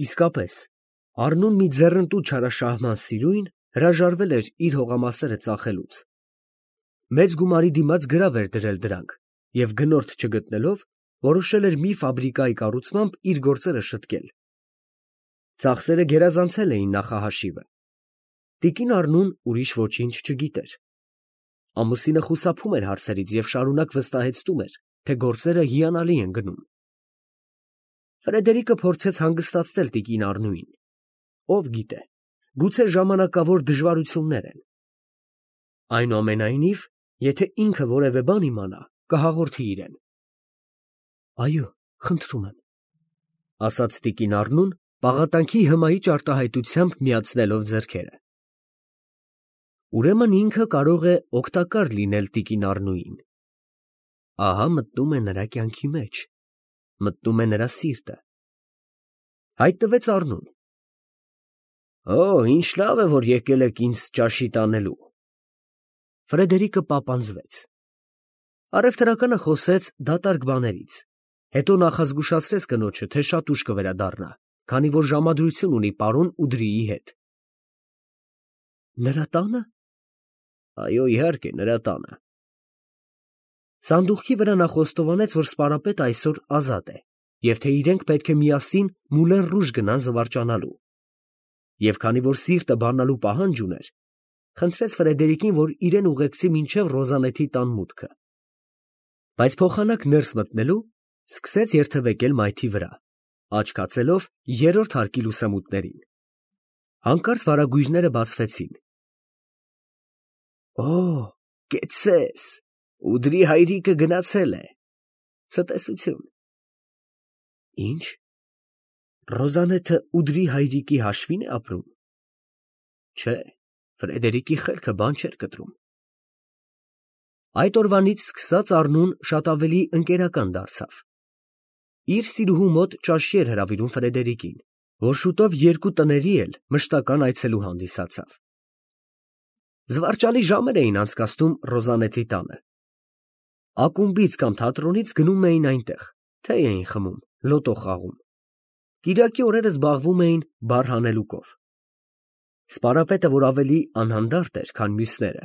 Իսկապես, Առնուն մի ձեռնտու չարաշահման սիրույն հրաժարվել էր իր հողամասերը ծախելուց։ Մեծ գումարի դիմաց գրավ էր դրել դրանք և գնորդ չգտնելով, որոշել էր մի ֆաբրիկայի կառուցմամբ իր գործերը շտկել։ Ծախսերը գերազանցել էին նախահաշիվը։ Տիկին Առնուն ուրիշ ոչինչ չգիտեր։ Ամուսինը խուսափում էր հարցերից և շարունակ վստահեցնում էր, թե գործերը հիանալի են գնում։ Ֆրեդերիկը փորձեց հանգստացնել տիկին Առնուին։ Ով գիտե, գուցե ժամանակավոր դժվարություններ են։ Այնուամենայնիվ, եթե ինքը որևէ բան իմանա, կհաղորդի իրեն։ Այո, խնդրում եմ, ասաց տիկին Առնուն, պաղատանքի հմայիչ արտահայտությամբ միացնելով ձեռքերը։ Ուրեմն ինքը կարող է օգտակար լինել տիկին Առնուին։ Ահա մտնում է նրա կյանքի մեջ, մտնում է նրա սիրտը։ Հայտնվեց Առնուն։ Օ, ինչ լավ է, որ եկել եք ինձ ճաշի տանելու։ Ֆրեդերիկը պապանձվեց։ Առևտրականը խոսեց դատարկ բաներից, հետո նախազգուշացրեց կնոջը, թե շատ ուշ կվերադառնա, քանի որ ժամադրություն ունի պարոն Ուդրիի հետ։ Նրա տանը։ Այո, իհարկե, նրա տանը։ Սանդուղքի վրա նա խոստովանեց, որ սպարապետը այսօր ազատ է, և թե իրենք պետք է միասին Մուլեն Ռուժ գնան զվարճանալու։ Եվ քանի որ սիրտը բանալու պահանջ ուներ, խնդրեց Ֆրեդերիկին, որ իրեն ուղեկցի մինչև Ռոզանեթի տան մուտքը։ Բայց փոխանակ ներս մտնելու սկսեց երթևեկել մայթի վրա, աչքացելով երրորդ հարկի լուսամուտներին։ Հանկարծ վարագույրները բացվեցին։ Օ, կեցցես, Ուդրի հայրիկը գնացել է։ Ցտեսություն։ Ինչ։ Ռոզանեթը Ուդրի հայրիկի հաշվին է ապրում։ Չէ, Ֆրեդերիկի խելքը բան չէր կտրում։ Այդ օրվանից սկսած Առնուն շատ ավելի ընկերական դարձավ։ Իր սիրուհու մոտ ճաշի էր հրավիրում Ֆրեդերիկին, որ շուտով երկու տների էլ մշտական այցելու հանդիսացավ։ Զվարճալի ժամեր էին անցկացնում Ռոզանեթի տանը։ Ակումբից կամ թատրոնից գնում էին այնտեղ, թեյ էին խմում, լոտո խաղում։ Կիրակի օրերը զբաղվում էին բառ հանելուկով։ Սպարապետը, որ ավելի անհանդարտ էր, քան մյուսները,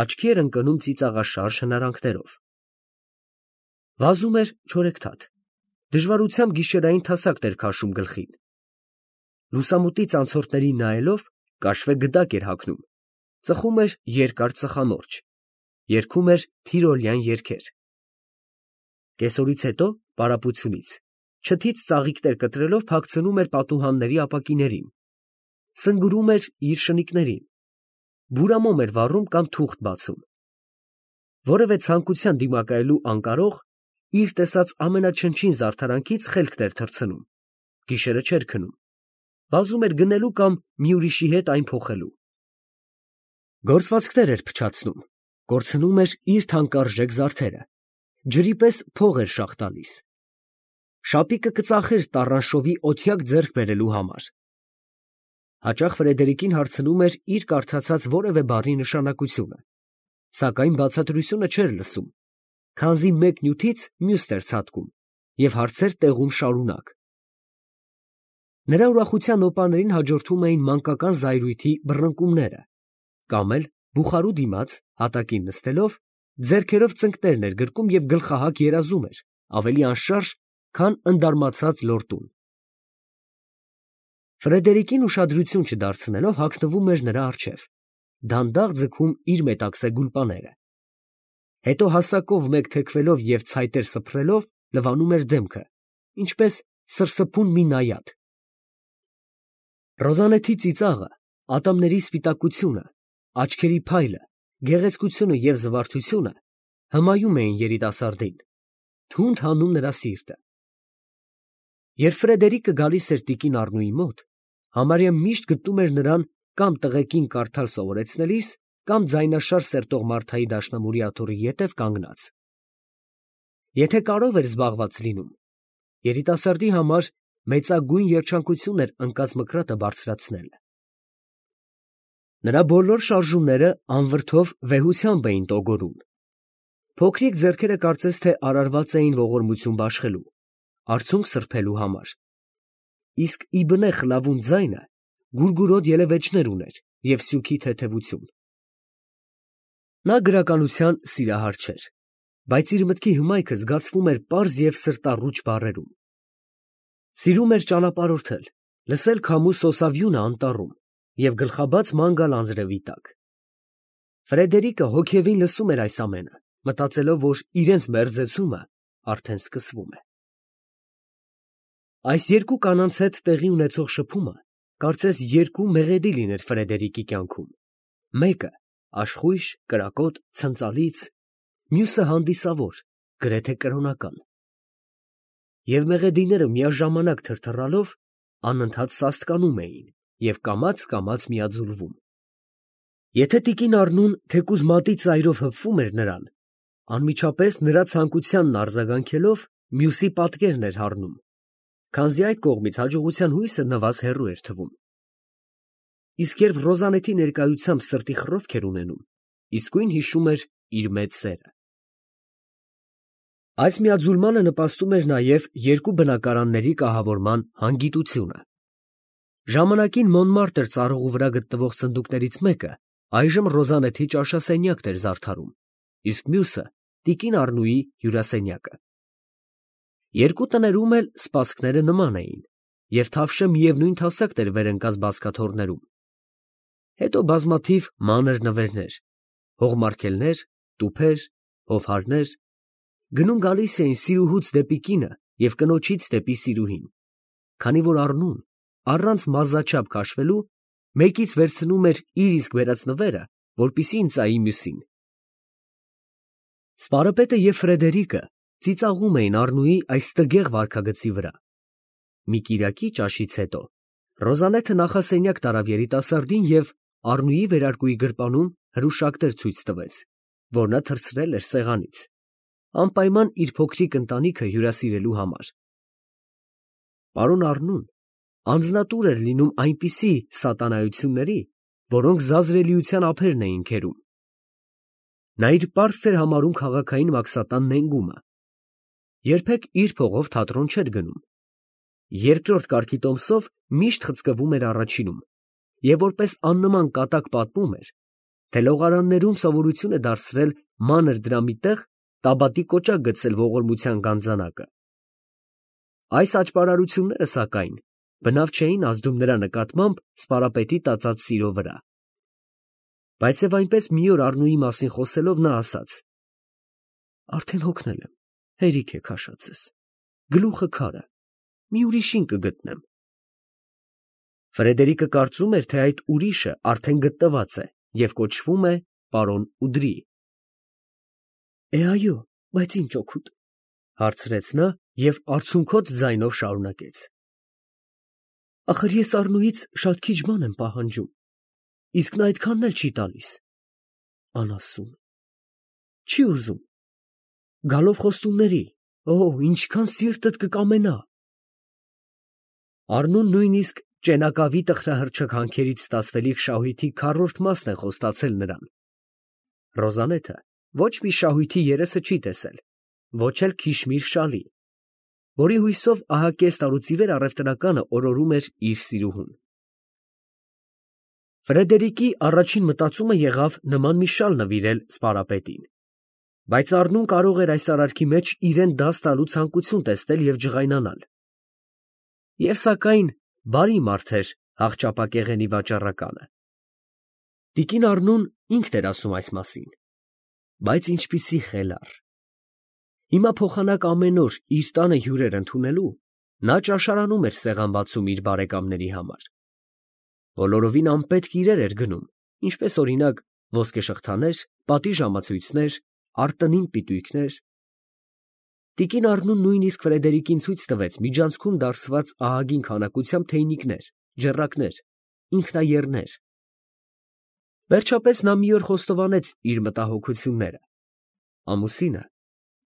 աչքի էր ընկնում ծիծաղաշարժ հնարանքներով։ Վազում էր չորեքթաթ, դժվարությամբ գիշերային թասակն էր քաշում գլխին։ Լուսամուտից անցորդներին նայելով կաշվե գդակ էր հագնում, ծխում էր երկար ծխամորճ, երգում էր թիրոլյան երգեր։ Կեսօրից հետո, պարապությունից, չթից ծաղիկներ կտրելով փակցնում էր պատուհանների ապակիներին, սնգուրում էր իր շնիկներին, բուրամոմ էր վառում կամ թուղթ բացում։ Որևէ ցանկության դիմակայելու անկարող, իր տեսած ամենաչնչին զարդարանքից խելքն էր թռցնում, գիշերը չէր քնում, վազում էր գնելու կամ մի ուրիշի հետ այն փոխելու։ Գործվածքներ էր փչացնում, կորցնում էր իր թանկարժեք զարդերը, ջրի պես փող էր շաղ տալիս։ Շապիկը կծախեր տառանշովի օթյակ ձեռք բերելու համար։ Հաճախ Ֆրեդերիկին հարցնում էր իր կարդացած որևէ բառի նշանակությունը, սակայն բացատրությունը չէր լսում, քանզի մեկ նյութից մյուսն էր ցատկում և հարցեր տեղում շարունակ։ Նրա ուրախության օպաներին հաջորդում էին մանկական զայրույթի բռնկումները, կամ էլ բուխարու դիմաց, հատակին նստելով, ձեռքերով ծնկներ էր գրկում և գլխահակ երազում էր, ավելի անշարժ, քան ընդարմացած լորտուն։ Ֆրեդերիկին ուշադրություն չդարձնելով հագնվում էր նրա առջև, դանդաղ ձգում իր մետաքսե գուլպաները։ Հետո հասակով մեկ թեքվելով և ցայտեր սփռելով լվանում էր դեմքը, ինչպես սրսփուն մի նայած։ Ռոզանեթի ծիծաղը, ատամների սպիտակությունը, աչքերի փայլը, գեղեցկությունը և զվարթությունը հմայում էին երիտասարդին, թունդ հանում նրա սիրտը։ Երբ Ֆրեդերիկը գալիս էր տիկին Առնուի մոտ, համարյա միշտ գտնում էր նրան կամ տղեկին կարդալ սովորեցնելիս, կամ ձայնաշար սերտող Մարթայի դաշնամուրի աթոռի ետև կանգնած։ Եթե կարով էր զբաղված լինում, երիտասարդի համար մեծագույն երջանկություն էր ընկած մկրատը բարձրացնել։ Նրա բոլոր շարժումները անվրդով վեհությամբ էին տոգորում։ Փոքրիկ ձեռքերը կարծես թե արարված էին ողորմություն բաշխելու, արցունք սրբելու համար։ իսկ ի բնե խլավուն ձայնը գուրգուրոտ ելևէջներ ուներ և սյուքի թեթևություն։ Նա գրականության սիրահար չէր, բայց իր մտքի հմայքը զգացվում էր պարզ և սրտառուչ բառերում։ Սիրում էր ճանապարհորդել, լսել քամու սոսավյունը անտառում և գլխաբաց ման գալ անձրևի տակ։ Ֆրեդերիկը հոգևին լսում էր այս ամենը, մտածելով, որ իրենց մերձեցումը արդեն սկսվում է։ Այս երկու կանանց հետ տեղի ունեցող շփումը կարծես երկու մեղեդի լիներ Ֆրեդերիկի կյանքում, մեկը աշխույժ, կրակոտ, ցնծալից, մյուսը հանդիսավոր, գրեթե կրոնական։ Եվ մեղեդիները միաժամանակ թրթռալով անընդհատ սաստկանում էին և կամաց միաձուլվում։ Եթե տիկին Առնուն թեկուզ մատի ծայրով հպվում էր նրան, անմիջապես նրա ցանկությանն արձագանքելով մյուսի պատկերն էր հառնում, քանզի այդ կողմից հաջողության հույսը նվազ հեռու էր թվում։ Իսկ երբ Ռոզանետի ներկայությամբ սրտի խռովք էր ունենում, իսկույն հիշում էր իր մեծ սերը։ Այս միաձուլմանը նպաստում էր նաև երկու բնակարանների կահավորման հանգիտությունը։ Ժամանակին Մոնմարտր ծառուղու վրա գտնվող սնդուկներից մեկը այժմ Ռոզանետի ճաշասենյակն էր զարդարում, իսկ մյուսը տիկին Առնուի հյուրասենյակը։ Երկու տներում էլ սպասքները նման էին, և Թավշը միևնույն հասակն էր վեր ընկած բազկաթոռներում։ Հետո բազմաթիվ մանր նվերներ, հողմարգելներ, տուփեր, հովհարներ գնում գալիս էին սիրուհուց դեպի կինը և կնոջից դեպի սիրուհին, քանի որ Առնուն, առանց մազաչափ քաշվելու, մեկից վերցնում էր իր իսկ բերած նվերը, որպեսզի ընծայի մյուսին։ Սպարապետը և Ֆրեդերիկը ծիծաղում էին Առնուի այս տգեղ վարքագծի վրա։ Մի կիրակի ճաշից հետո Ռոզանեթը նախասենյակ տարավ երիտասարդին և Առնուի վերարկուի գրպանում հրուշակներ ցույց տվեց, որ նա թռցրել էր սեղանից, անպայման իր փոքրիկ ընտանիքը հյուրասիրելու համար։ Պարոն Առնուն անձնատուր էր լինում այնպիսի սատանայությունների, որոնք զազրելիության ափերն էին քերում։ Նա իր պարտք էր համարում քաղաքային մաքսատան նենգումը, երբեք իր փողով թատրոն չէր գնում, երկրորդ կարգի տոմսով միշտ խցկվում էր առաջինում և որպես աննման կատակ պատմում էր, թե լողարաններում սովորություն է դարձրել մանր դրամի տեղ տաբատի կոճակ գցել ողորմության գանձանակը։ Այս աճպարարությունները, սակայն, բնավ չէին ազդում նրա նկատմամբ սպարապետի տածած սիրո վրա։ Բայց և այնպես մի օր Առնուի մասին խոսելով նա ասաց. «Արդեն հոգնել եմ, հերիք է քաշածս, գլուխը քար է, մի ուրիշին կգտնեմ»։ Ֆրեդերիկը կարծում էր, թե այդ ուրիշը արդեն գտնված է և կոչվում է պարոն Ուդրի։ «Այո, բայց ինչ օգուտ», հարցրեց նա և արցունքոտ ձայնով շարունակեց. «Ախր ես Առնուից շատ քիչ բան եմ պահանջում, իսկ նա այդքանն էլ չի տալիս։ Անասուն, չի ուզում։ Գալով խոստումների, ինչքան սիրտդ կկամենա»։ Առնուն նույնիսկ ճենակավի տխրահռչակ ստացվելիք շահույթի քառորդ մասն է խոստացել նրան։ Ռոզանեթը ոչ մի շահույթի երեսը չի տեսել, ոչ էլ քիշմիր շալի, որի հույսով ահա կես տարուց ի վեր առևտրականը օրորում էր իր սիրուհուն։ Ֆրեդերիկի առաջին մտածումը եղավ նման մի շալ նվիրել սպարապետին, բայց Առնուն կարող էր այս արարքի մեջ իրան դաս տալու ցանկություն տեսնել և ջղայնանալ։ Եվ սակայն բարի մարդ էր աղճապակեղենի վաճառականը։ Տիկին Առնուն ինքն էր ասում այս մասին, բայց ինչպիսի խելառ։ Հիմա փոխանակ ամեն օր իր տանը հյուրեր ընդունելու, նա ճաշարանում էր սեղան բացում իր բարեկամների համար։ Բոլորովին անպետք իրեր էր գնում, ինչպես օրինակ ոսկեշղթաներ, պատի ժամացույցներ, արտտնին պիտույքներ։ Տիկին Առնուն նույնիսկ Ֆրեդերիկին ցույց տվեց միջանցքում դարսված ահագին քանակությամբ թեյնիկներ, ջեռակներ, ինքնաեռներ։ Վերջապես նա մի օր խոստովանեց իր մտահոգությունները։ Ամուսինը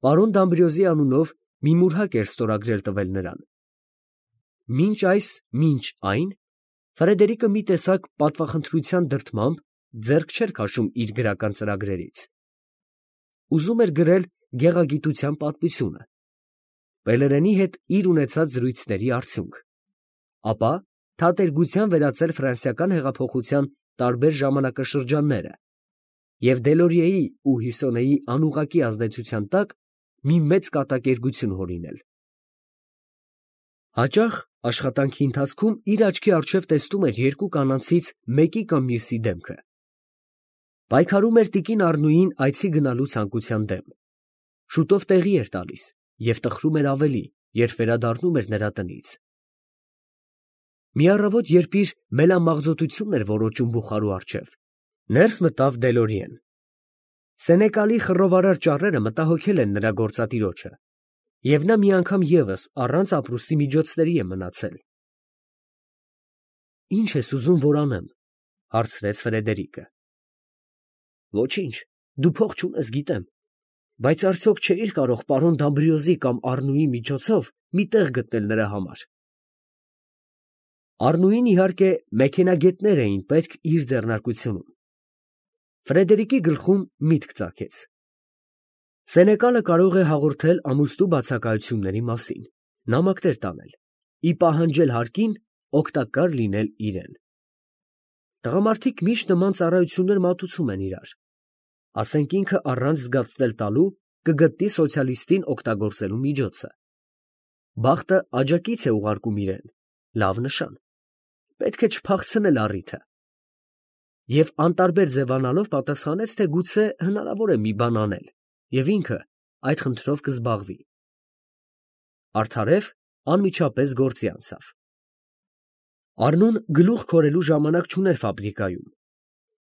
պարոն Դամբրիոզի անունով մի մուրհակ էր ստորագրել տվել նրան։ Մինչ այն Ֆրեդերիկը մի տեսակ պատվախնդրության դրդմամբ ձեռք չէր քաշում իր գրական ծրագրերից։ Ուզում էր գրել գեղագիտության պատմությունը, Պելերենի հետ իր ունեցած զրույցների արդյունք, ապա թատերգության վերածել ֆրանսիական հեղափոխության տարբեր ժամանակաշրջանները և Դելորիեի ու Հյուսոնեի անուղղակի ազդեցության տակ մի մեծ կատակերգություն հորինել։ Հաճախ աշխատանքի ընթացքում իր աչքի առջև տեսնում էր երկու կանանցից մեկի կամ մյուսի դեմքը։ Պայքարում էր տիկին Առնուին այցի գնալու ցանկության դեմ։ Շուտով տեղի էր տալիս և տխրում էր ավելի, երբ վերադառնում էր նրա տնից։ Մի առավոտ, երբ իր մելամաղձոտությունն էր որոճում բուխարու առջև, ներս մտավ Դելորիեն։ Սենեկալի խռովարար ճառերը մտահոգել են նրա գործատիրոջը, և նա մի անգամ ևս առանց ապրուստի միջոցների է մնացել։ «Ի՞նչ ես ուզում, որ անեմ», ֊ հարցրեց Ֆրեդերիկը։ «Ոչինչ, դու փող չունես, գիտեմ, բայց արդյոք չէիր կարող պարոն Դամբրիոզի կամ Առնուի միջոցով մի տեղ գտնել նրա համար»։ Առնուին, իհարկե, մեքենագետներ էին պետք իր ձեռնարկությունում։ Ֆրեդերիկի գլխում միտք ծագեց. Սենեկալը կարող է հաղորդել ամուսնու բացակայությունների մասին, նամակներ տանել, ի պահանջել հարկին օգտակար լինել իրեն։ Տղամարդիկ միշտ նման ծառայություններ մատուցում են իրար։ Ասենք ինքը առանց զգացնել տալու կգտնի սոցիալիստին օգտագործելու միջոցը։ Բախտը աջակից է ուղարկում իրեն, լավ նշան։ Պետք է չփախցնել առիթը։ Եվ անտարբեր ձևանալով պատասխանեց, թե գուցե հնարավոր է մի բան անել, և ինքը այդ խնդրով կզբաղվի։ Արդարև անմիջապես գործի անցավ։ Առնուն գլուխ քորելու ժամանակ չուներ ֆաբրիկայում։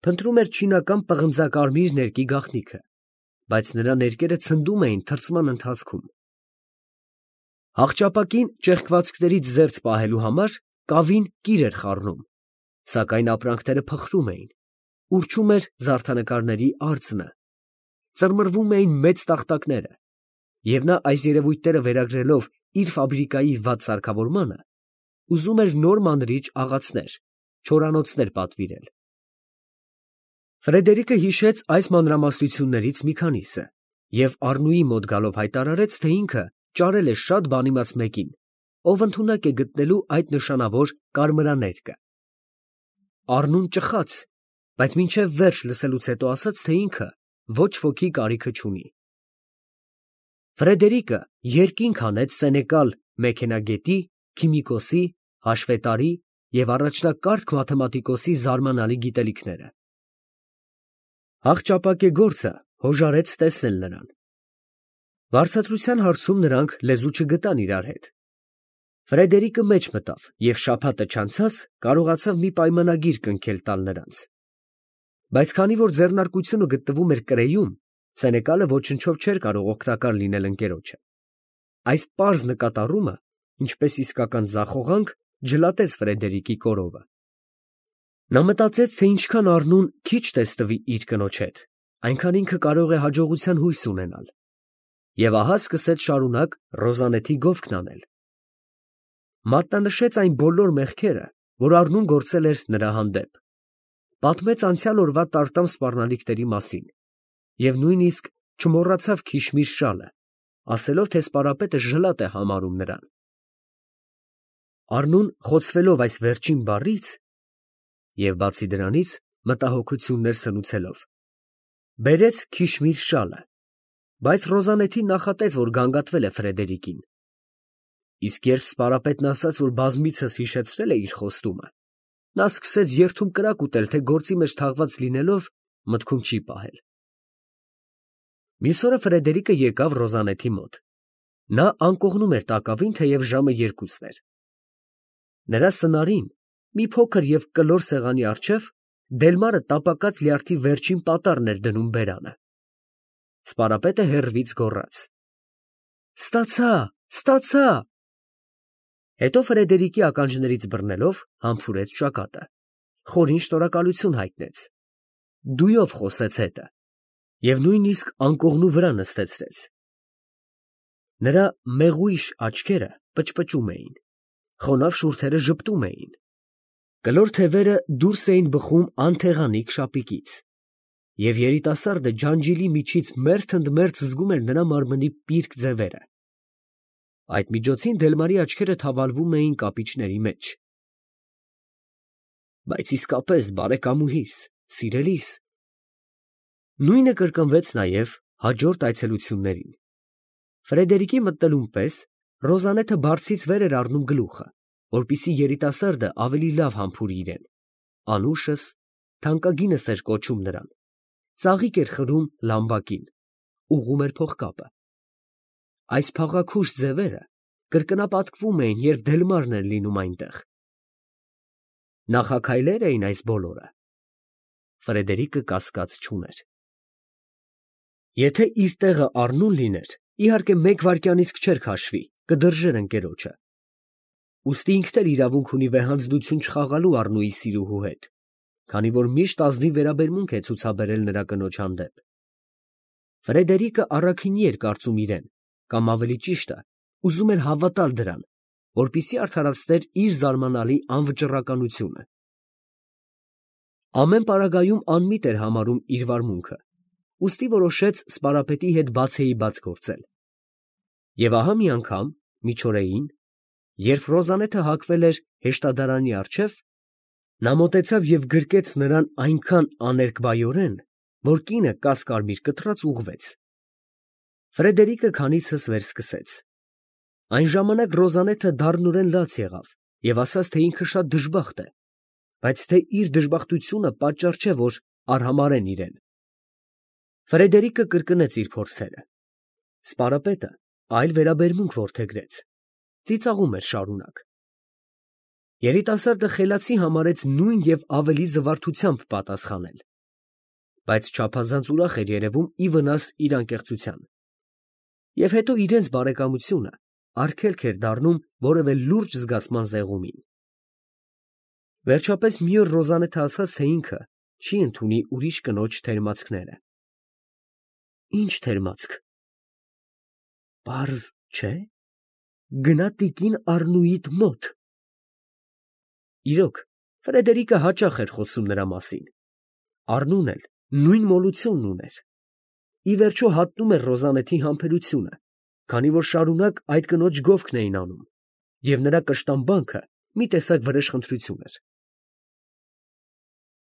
Փնտրում էր չինական պղնձակարմիր ներկի գաղտնիքը, բայց նրա ներկերը ցնդում էին թրծման ընթացքում։ Հաղճապակին ճեղքվածքներից զերծ պահելու համար կավին կիր էր խառնում, սակայն ապրանքները փխրում էին, ուռչում էր զարդանկարների արձնը, ծռմռվում էին մեծ տախտակները, և նա այս երևույթները վերագրելով իր ֆաբրիկայի վատ սարքավորմանը, ուզում էր նոր մանրիչ աղացներ, չորանոցներ պատվիրել։ Ֆրեդերիկը հիշեց այս մանրամասնություններից մի քանիսը և Առնուի մոտ գալով հայտարարեց, թե ինքը ճարել է շատ բանիմաց մեկին, ով ընդունակ է գտնելու այդ նշանավոր կարմրաներկը։ Առնուն ճխաց, բայց մինչև վերջ լսելուց հետո ասաց, թե ինքը ոչ ոքի կարիքը չունի։ Ֆրեդերիկը երկինք հանեց սենեկալ մեքենագետի, քիմիկոսի, հաշվետարի և առաջնակարգ մաթեմատիկոսի զարմանալի գիտելիքները։ Հաղճապակեգործը հոժարեց տեսնել նրան։ Վարձատրության հարցում նրանք լեզու չգտան իրար հետ։ Ֆրեդերիկը մեջ մտավ և շաբաթը չանցած կարողացավ մի պայմանագիր կնքել տալ նրանց։ Բայց քանի որ ձեռնարկությունը գտնվում էր Կրեյում, սենեկալը ոչնչով չէր կարող օգտակար լինել ընկերոջը։ Այս պարզ նկատառումը, ինչպես իսկական ձախողանք, ջլատեց Ֆրեդերիկի կորովը։ Նա մտածեց, թե ինչքան Առնուն քիչ տեսնվի իր կնոջ հետ, այնքան ինքը կարող է հաջողության հույս ունենալ։ Եվ ահա սկսեց շարունակ Ռոզանեթի գովքն անել։ Մատնանշեց այն բոլոր մեղքերը, որ Առնուն գործել էր նրա հանդեպ, պատմեց անցյալ օրվա տարտամ սպառնալիքների մասին և նույնիսկ չմոռացավ Քիշմիր շալը, ասելով, թե սպարապետը ժլատ է համարում նրան։ Առնուն, խոցվելով այս վերջին բառից և բացի դրանից մտահոգություններ սնուցելով, բերեց Քիշմիր շալը, բայց Ռոզանեթին նախատեց, որ գանգատվել է Ֆրեդերիկին։ Իսկ երբ սպարապետն ասաց, որ բազմիցս հիշեցրել է իր խոստումը, նա սկսեց երդում կրակ ուտել, թե գործի մեջ թաղված լինելով մտքում չի պահել։ Մյուս օրը Ֆրեդերիկը եկավ Ռոզանեթի մոտ։ Նա անկողնում էր տակավին, թեև ժամը 2-ն էր։ Նրա սնարին, մի փոքր և կլոր սեղանի առջև, Դելմարը տապակած լյարդի վերջին պատառն էր դնում բերանը։ Սպարապետը հեռվից գոռաց. «Ստացա, ստացա»։ Հետո Ֆրեդերիկի ականջներից բռնելով համբուրեց ճակատը, խորին շնորհակալություն հայտնեց, դույով խոսեց հետը և նույնիսկ անկողնու վրա նստեցրեց։ Նրա մեղույշ աչքերը պճպճում էին, խոնավ շուրթերը ժպտում էին, կլոր թևերը դուրս էին բխում անթեղանիկ շապիկից, և երիտասարդը ջանջիլի միջից մերթ ընդ մերթ զգում էր նրա մարմնի պիրկ ձևերը։ Այդ միջոցին Դելմարի աչքերը թավալվում էին կապիճների մեջ, բայց իսկապես բարեկամուհիս, սիրելիս։ Նույնը կրկնվեց նաև հաջորդ այցելություններին։ Ֆրեդերիկի մտնելուն պես Ռոզանեթը բարձից վեր էր առնում գլուխը, որպեսզի երիտասարդը ավելի լավ համբուրի իրեն։ Անուշս, թանկագինս էր կոչում նրան, ծաղիկ էր խրում լամբակին, ուղղում էր փողկապը։ Այս փաղաքուշ ձևերը կրկնապատկվում էին, երբ Դելմարն էր լինում այնտեղ։ Նախաքայլեր էին այս բոլորը։ Ֆրեդերիկը կասկած չուներ։ Եթե իր տեղը Առնուն լիներ, իհարկե մեկ վայրկյանից չէր քաշվի, կդրժեր ընկերոջը։ Ուստի ինքն էլ իրավունք ունի վեհանձնություն չխաղալու Առնուի սիրուհու հետ, քանի որ միշտ ազնիվ վերաբերմունք է ցուցաբերել նրա կնոջ հանդեպ։ Ֆրեդերիկը առաքինի էր կարծում իրեն, կամ ավելի ճիշտը, ուզում էր հավատալ դրան, որպեսզի արդարացներ իր զարմանալի անվճռականությունը։ Ամեն պարագայում անմիտ էր համարում իր վարմունքը, ուստի որոշեց սպարապետի հետ բացեիբաց գործել։ Եվ ահա մի անգամ, միջօրեին, երբ Ռոզանեթը հագվել էր հեշտադարանի առջև, նա մոտեցավ և գրկեց նրան այնքան աներկբայորեն, որ կինը կասկարմիր կտրած ուղղվեց։ Ֆրեդերիկը քանիցս վերսկսեց։ Այն ժամանակ Ռոզանեթը դառնորեն լաց եղավ և ասաց, թե ինքը շատ դժբախտ է, բայց թե իր դժբախտությունը պատճառ չէ, որ արհամարհեն իրեն։ Ֆրեդերիկը կրկնեց իր փորձերը։ Սպարապետը այլ վերաբերմունք որդեգրեց, ծիծաղում էր շարունակ։ Երիտասարդը խելացի համարեց նույն և ավելի զվարթությամբ պատասխանել, բայց չափազանց ուրախ էր երևում ի վնաս իր անկեղծության։ Եվ հետո իրենց բարեկամությունը արգելք էր դառնում որևէ լուրջ զգացման զեղումին։ Վերջապես մի օր Ռոզանեթը ասաց, թե ինքը չի ընդունի ուրիշ կնոջ թերմացքները։ Ի՞նչ թերմացք։ Պարզ չէ՞։ Գնա տիկին Առնուիդ մոտ։ Իրոք, Ֆրեդերիկը հաճախ էր խոսում նրա մասին։ Առնուն էլ նույն մոլությունն ուներ։ Ի վերջո հատնում էր Ռոզանեթի համբերությունը, քանի որ շարունակ այդ կնոջ գովքն էին անում, և նրա կշտամբանքը մի տեսակ վրեժխնդրություն էր։